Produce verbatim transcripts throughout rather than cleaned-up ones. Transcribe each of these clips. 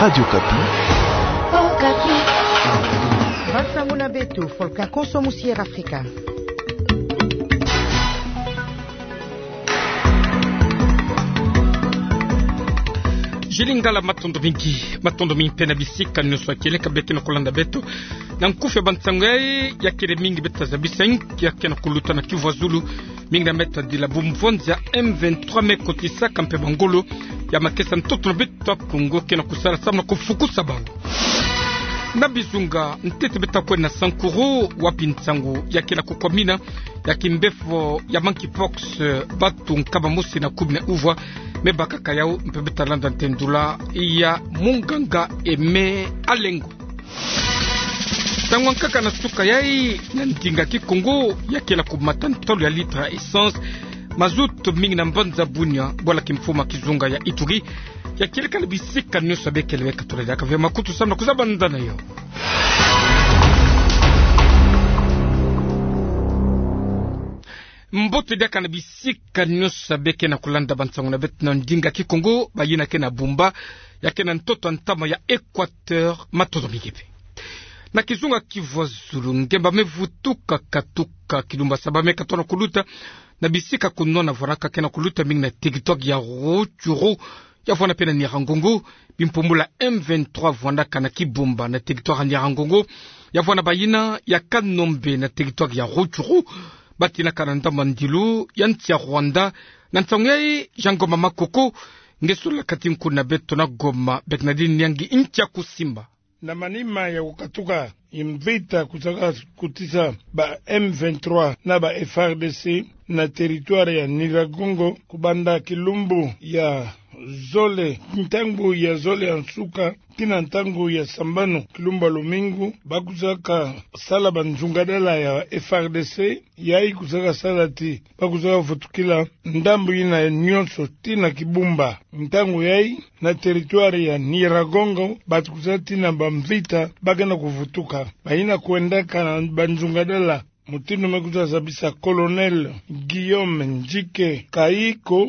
Radio Okapi. Okapi. Bansango na beto, Volcan Konso, Musier Afrika. Julie Ngala, matondo mingi, matondo mingi mpe na bisika nyonso ya kieleka beno ke na kulanda beto. Na nkufi ya bansango yayi, ya kele mingi beto ta zabisa inki ya ke na kuluta na Kivu ya Zulu, mingi na meta dila bumvonza ya M vingt-trois me kotisaka mpe bangolo ya makesa ntoto na beto ya Kongo ke na kusala samu na kufukusa bau. Na bizunga ntete beto ta kwenda na Sankuru, wapi nsangu ya ke na kukwamina ya kimbefo ya monkeypox, batu nkama mosi na kumi na uvwa me bakaka yau, mpe beto ta landa ntendula ya munganga Aimé Alengo. Ntangu ya nkaka na suka yayi, na ndinga Kikongo, ya ke na kumata ntolo ya litre ya essence, mazout, mingi na mbanza Bunia, bwala kimfumu ya kizunga ya Ituri, ya kieleka na bisika nyonso. Beno kele beka tula diaka ve makutu samu na kuzaba nda na yo. Mbote diaka na bisika nyonso beno ke na kulanda bansango na beto na ndinga Kikongo, bayina ke na Bumba, ya ke na ntoto ya ntama ya Equateur, matondo mingi mpe. Na kizunga Kivu ya Zulu, ngemba me vutuka katuka kilumbu ya saba me katono kuluta na bisika kunwana vwanaka ke na kuluta, mingi na territoire ya Rutshuru, ya vwana mpe na Nyiragongo, bimpumbulu ya M vingt-trois vwandaka na Kibumba na territoire ya Nyiragongo, ya vwana bayina ya Kanombe na territoire ya Rutshuru, batinaka na ndambu ya ndilu ya nsi ya Rwanda. Na nsangu yayi, Jean Ngoma Makoko nge solola kati nkundi na beto na Goma, Bernardine Nyangi ntia kusimba. Na manima ya kukatuka mvita kuzaka kotisa ba M vingt-trois na ba F A R D C na territoire ya Nyiragongo, kubanda kilumbu ya zole, ntangu ya zole ya nsuka tii na ntangu ya sambanu, kilumbu ya lumingu, ba kuzaka sala banzungadala ya F A R D C, yayi kuzaka sala ti ba kuzaka vutukila ndambu yina nyonso tii na Kibumba. Ntangu yayi, na territoire ya Nyiragongo, batu kuzaka tii na bamvita ba ke na kuvutuka. Bayina kwendaka na banzungadala, mutindu me kuzaka zabisa Colonel Guillaume Ndjike Kayiko,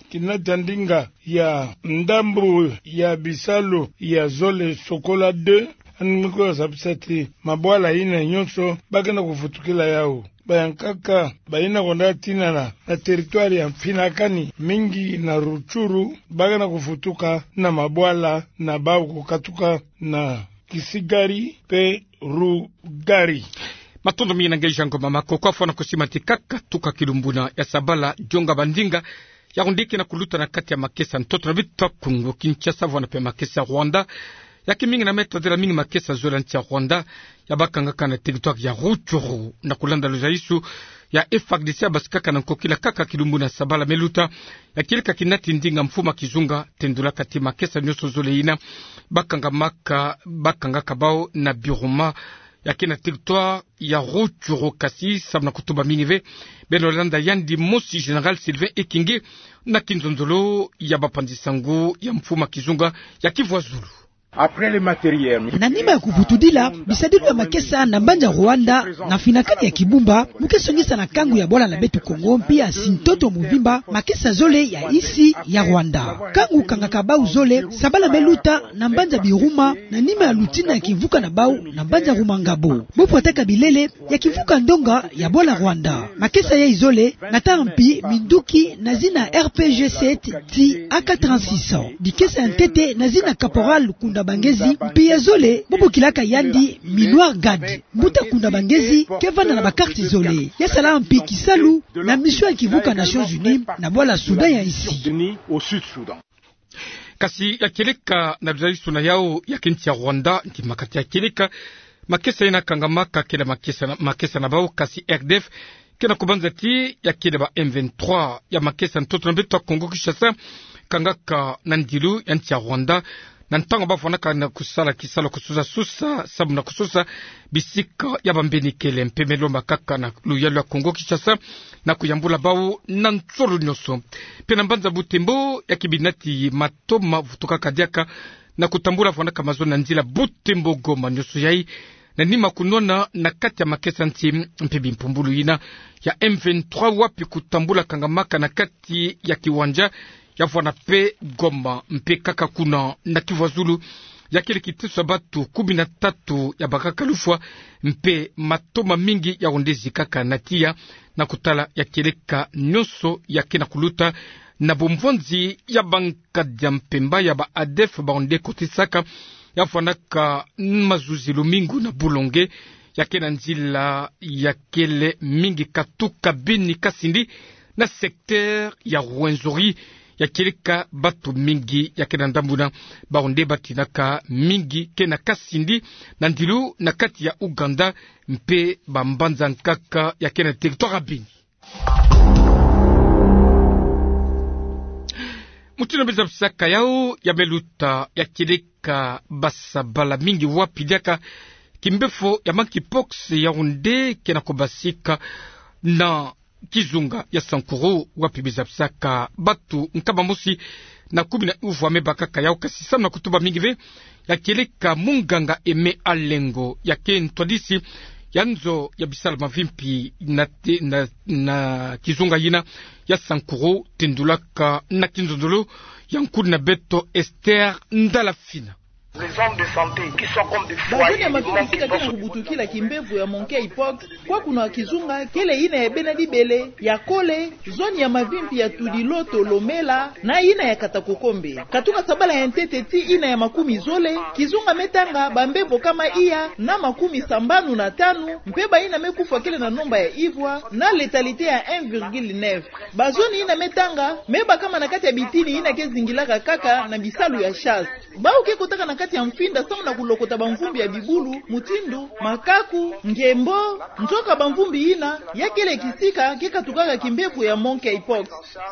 kinata ndinga ya ndambu ya bisalu ya zole Sokola deux, yandi me kuzaka zabisa ti mabwala yina nyonso ba ke na kuvutukila yau. Bayankaka bayina kwenda tinana na territoire ya Mfinakani, mingi na Rutshuru, ba ke na kuvutuka na mabwala na bau kukatuka na Kisigari mpe Rugari. Matondo mingi na nge Jean Ngoma Makoko. Kwa fwana kusimba ti kaka tuka kilumbuna ya sabala, dionga bandinga ya rundiki na kuluta na kati ya makesa ntoto na beto ya Kongo Kinshasa, vwana mpe makesa Rwanda. Ya ke mingi na meta dela mingi makesa zole ya nsi ya Rwanda, ya bakangaka na territoire ya Rutshuru, na kulanda luzaisu ya F A R D C, ya basikaka na nkokila kaka kilumbuna ya sabala me luta, ya kieleka kinati ndinga mfumu ya kizunga tendulaka ti makesa nyonso zole yina bakangamaka, bakangaka bau na Biruma, ya ke na territoire ya Rutshuru. Kasi samu na kutuba mingi ve, beno landa yandi mosi Général Sylvain Ekenge na kinzonzolo ya bapanzi sango ya mfumu ya kizunga ya Kivu ya Zulu. Na nima ya kuvutudila bisadilu ya makesa na mbanza Rwanda, na Mfinakani ya Kibumba, mu ke songisa na kangu ya bwala na beto Kongo, mpe ya nsi ntoto mobimba, makesa zole ya insi ya Rwanda. Kangu kangaka bau zole, sabala me luta na mbanza Biruma, na nima ya lutina ya kimvuka na bau na mbanza Rumangabo. Bo pwataka bilele ya kimvuka ndonga ya bwala Rwanda. Makesa yayi zole, nata mpi minduki na zina R P G sept ti A K trente-six. Dikesa ya ntete na zina Caporal Kundabangezi, mpi ya zole bo bokilaka yandi Minuar Gad. Mbuta Kundabangezi ke vanda na ba carte zole. Ya sala mpi kisalu na mission ya kimvuka Nations Unies na bwala Soudan ya insi. Kasi ya kieleka na luzaisu na yau ya ke nsi ya Rwanda, nti makati ya kieleka makesa yina kangamaka kele makesa na, makesa na bau, kasi R D F ke na kubanza ti ya kele ba M vingt-trois. Ya makesa ntoto na beto ya Kongo Kinshasa kangaka na ndilu ya nsi ya Rwanda, na ntangu ba fwanaka na kusala kisalu kususa-susa samu na kususa bisika ya bambeni kele, mpe me lomba kaka na luyalu ya Kongo Kinshasa na kuyambula bau na nsolo nyonso. Mpe na mbanza Butembo, ya ke binati matoma vutukaka diaka na kutambula fwanaka mazono na nzila Butembo Goma, nyonso yayi na nima kunwana na kati ya makesa nti mpe bimpumbulu yina ya M vingt-trois, wapi kutambula kangamaka na kati ya kiwanja ya vwana mpe Goma, mpe kaka kuna na Kivu ya Zulu, Ya kele kiteso ya batu kumi na tatu ya bakaka lufwa, mpe matoma mingi ya onde zikaka na tiya, na kutala ya kieleka nyonso ya ke na kuluta na bomvonzi ya bankadi ya mpemba ya ba ADF ba onde kotisaka, ya fwanaka mazuzi lumingu na Boulongué, ya ke na nzila ya kele mingi katuka bini kasindi na secteur ya Rwenzori, ya kieleka batu mingi ya ke na ndambu yina, ba onde batinaka mingi ke na kasindi na ndilu na kati ya Ouganda, mpe bambanza nkaka ya ke na territoire ya bini. Mutindu me zabisaka yawu ya me luta, ya kieleka basabala mingi wapi diaka kimbefo ya monkeypox ya onde ke na kubasika na kizunga ya Sankuru, wapi me zabisaka batu nkama mosi na kumi na uvwa me bakaka yawu, kasi samu na kutuba mingi ve, ya kieleka munganga Aimé Alengo, ya ke ntwadisi ya nzo ya bisalu mavimpi na te-, na, na kizunga yina ya Sankuru, tendulaka na kinzonzolo ya nkudi na beto Esther Ndalafina. Les zones de santé qui sont comme des foyers de monkeypox. Bazoni ya makitisika ke na kubutukila kimbevo ya monkeypox kwaku na kizunga kele yina ya Bena-Dibele, ya Kole, zoni ya mavimpi ya Tudi, Loto, Lomela, na yina ya Katakokombe. Katuka sabala ya ntete tii yina ya makumi zole, kizunga me tanga bambevo kama iya na makumi sambanu na tanu, mpe bayina me kufwa kele na nomba ya ivwa, na létalité ya un virgule neuf. Bazoni yina me tanga me bakama na kati ya bitini yina ke zingilaka kaka na bisalu ya chasse. Bawu ke kotaka na kati ya mfinda samu na kulokota bamvumbi ya bibulu, mutindu makaku, ngembo, nzoka bamvumbi yina ya kele kisika ke katukaka kimbevo ya monkeypox.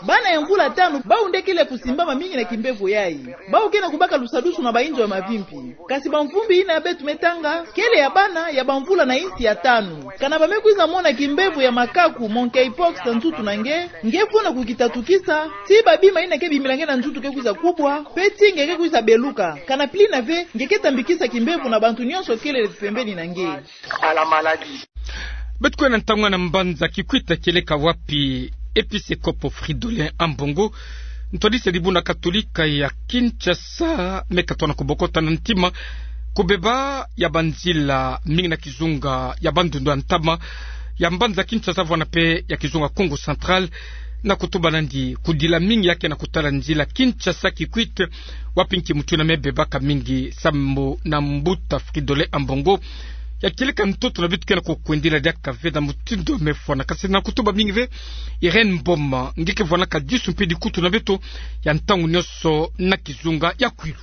Bana ya mvula tanu, bawu nde kele kusimbama mingi na kimbevo yayi. Bawu ke na kubaka lusadusu na bayinzo ya mavimpi. Kasi bamvumbi yina ya beto me tanga kele ya bana ya bamvula na insi ya tanu. Kana ba me kwiza mona kimbevo ya makaku, monkeypox, na nzutu na nge, nge fwana kukitatukisa tii babima yina ke bimila nge na nzutu ke kwiza kubwa, mpe tii nge ke kwiza beluka. Kana pilina ve, nge ke tambikisa kimbevo na bantu nyonso kele pembeni na nge. Beto kwenda ntangu na mbanza Kikwit, kieleka wapi episekopo Fridolin Ambongo, ntwadisi ya dibundu katolika ya Kinshasa, me katona kubokota na ntima kubeba ya banzila mingi na kizunga ya Bandundu ya ntama ya mbanza Kinshasa, vwanda mpe ya kizunga Kongo Central, na kutuba nandi kudila mingi ya ke na kutala nzila Kinshasa Kikwit, wapi nki mutu yina me bebaka mingi. Sambu na mbuta Fridolin Ambongo, ya kieleka ntoto na beto ke na kukwendila diaka ve na mutindu me fwana. Kasi na kutuba mingi ve, Irène Mboma, nge ke vwanaka disu mpe dikutu na beto ya ntangu nyonso na kizunga ya Kwilu.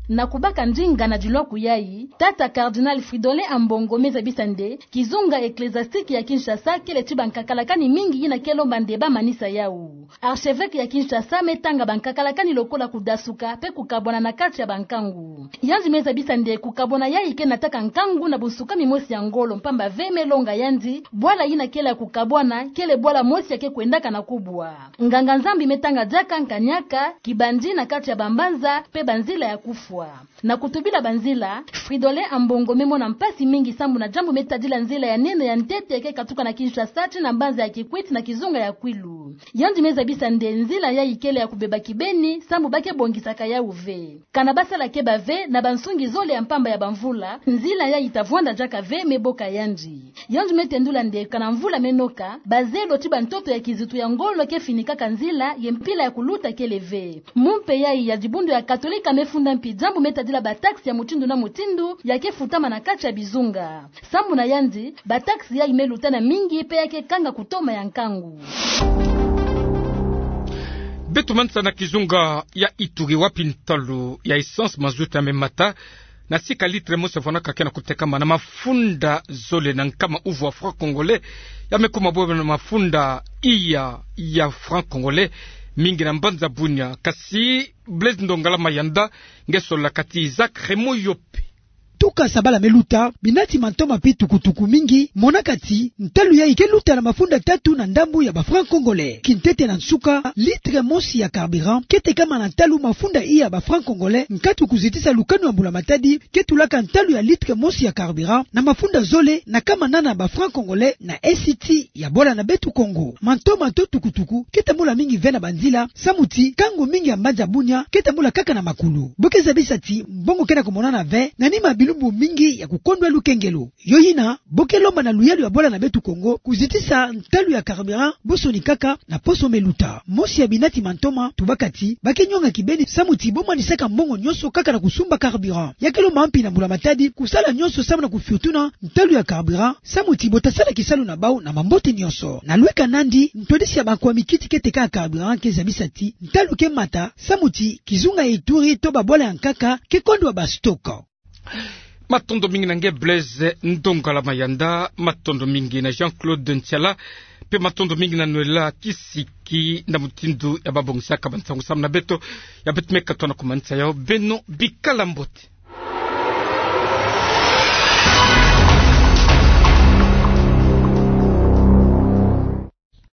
Na kubaka ndinga na dilwaku yayi, tata Cardinal Fridolin Ambongo me zabisa nde kizunga ecclésiastique ya Kinshasa kele ti bankakalakani mingi yina ke lomba nde ba manisa yawu. Archevêque ya Kinshasa me tanga bankakalakani lokola kudasuka mpe kukabwana na kati ya bankangu. Yandi me zabisa nde kukabwana yayi ke nataka nkangu na bunsukami mosi ya ngolo, mpamba ve me longa yandi, bwala yina kele ya kukabwana kele bwala mosi ya ke kwendaka na kubwa. Nganga-Nzambi me tanga diaka nkanyaka, kibandi na kati ya bambanza mpe banzila ya kufwa. Na kutubila banzila, Fridolin Ambongo me mona mpasi mingi sambu na diambu me tadila nzila ya nene ya ntete ya ke katuka na Kinshasa ti na mbanza ya Kikwit na kizunga ya Kwilu. Yandi me zabisa nde nzila yayi kele ya kubeba kibeni sambu ba ke bongisaka yawu ve. Kana ba sala keba ve, na bansungi zole ya mpamba ya bamvula, nzila yayi ta vwanda diaka ve, me boka yandi. Yandi me tendula nde kana mvula me noka, bazelo ti bantoto ya kizitu ya ngolo ke finikaka nzila, ye mpila ya kuluta kele ve. Mumpe yayi ya dibundu ya Katolika me funda mpi diambu me tadila bataxe ya mutindu na mutindu ya ke futama na kati ya bizunga. Sambu na yandi, bataxe yayi me lutana mingi mpe ya ke kanga kutoma ya nkangu. Beto manisa na kizunga ya Ituri, wapi ntalu ya essence, mazutu ya me mata na sika litre mosi ya vwanaka ke na kutekama na mafunda zole na nkama uvwa franc congolais, ya me kuma bobo na mafunda iya ya franc congolais mingi na mbanza Bunia. Kasi Blaise Ndongala Mayanda nge sololaka ti Isaac Raymond Yope. tuka sabala me luta, binati mantoma pi tukutuku mingi monaka ti ntalu yayi ke luta na mafunda tatu na ndambu ya ba francs congolais. Kintete na nsuka, litre mosi ya carburant ke tekama na ntalu mafunda iya ba francs congolais, nkatu kuzitisa lukanu ya mbula matadi ke tulaka ntalu ya litre mosi ya carburant na mafunda zole na kama nana ba francs congolais na siti ya bwala na beto Kongo. Mantoma to tukutuku ke tambula mingi ve na banzila, samu ti kangu mingi ya mbanza bunia ke tambula kaka na makulu. Bo ke zabisa ti mbongo ke na kumonana ve na nima ya bilumbu mingi ya kukondwa lukengelo. Yo yina, bo ke lomba na luyalu ya bwala na beto Kongo kuzitisa ntalu ya carburant bosoni kaka na poso me luta. Mosi ya binati mantoma tubaka ti ba ke nyonga kibeni samu ti bo manisaka mbongo nyonso kaka na kusumba carburant. Ya ke lomba mpi na mbula matadi kusala nyonso samu na kufiotuna ntalu ya carburant, samu ti bo ta sala kisalu na bau na mambote nyonso. Na lweka nandi, ntwadisi ya bankwa mikiti ke teka carburant ke zabisa ti ntalu ke mata, samu ti kizunga ya Ituri to babwala ya nkaka ke kondwa ba stock. Matondo mingi na nge Blaise Ndongala Mayanda, matondo mingi na Jean-Claude Ntiala, mpe matondo mingi na Noëlla Kisiki na mutindu ya babongisaka bansangu samu na beto. Ya beto me katwa na kumanisa yau, beno bikala mbote.